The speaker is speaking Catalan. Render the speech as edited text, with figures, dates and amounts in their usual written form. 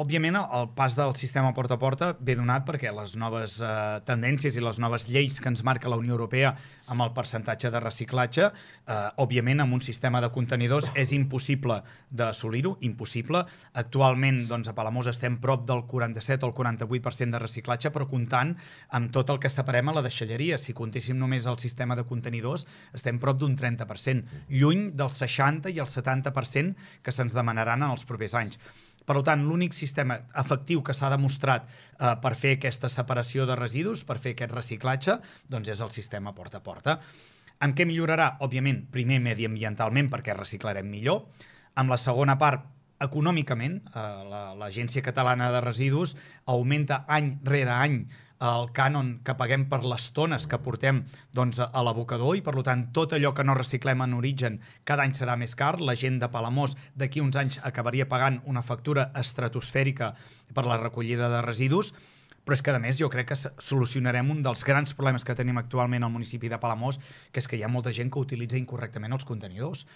òbviament, el pas del sistema porta a porta ve donat perquè les noves tendències i les noves lleis que ens marca la Unió Europea amb el percentatge de reciclatge, òbviament, amb un sistema de contenidors és impossible d'assolir-ho, impossible. Actualment, doncs, a Palamós estem prop del 47 o el 48% de reciclatge, però comptant amb tot el que separem a la deixalleria. Si comptéssim només el sistema de contenidors, estem prop d'un 30%, lluny del 60 i el 70% que se'ns demanaran en els propers anys. Per tant, l'únic sistema efectiu que s'ha demostrat per fer aquesta separació de residus, per fer aquest reciclatge, doncs és el sistema porta a porta. En què millorarà? Òbviament, primer mediambientalment, perquè reciclarem millor. Amb la segona part, econòmicament, l'Agència Catalana de Residus augmenta any rere any el cànon que paguem per les tones que portem doncs, a l'abocador i, per tant, tot allò que no reciclem en origen cada any serà més car. La gent de Palamós d'aquí uns anys acabaria pagant una factura estratosfèrica per la recollida de residus, però és que, a més, jo crec que solucionarem un dels grans problemes que tenim actualment al municipi de Palamós, que és que hi ha molta gent que utilitza incorrectament els contenidors.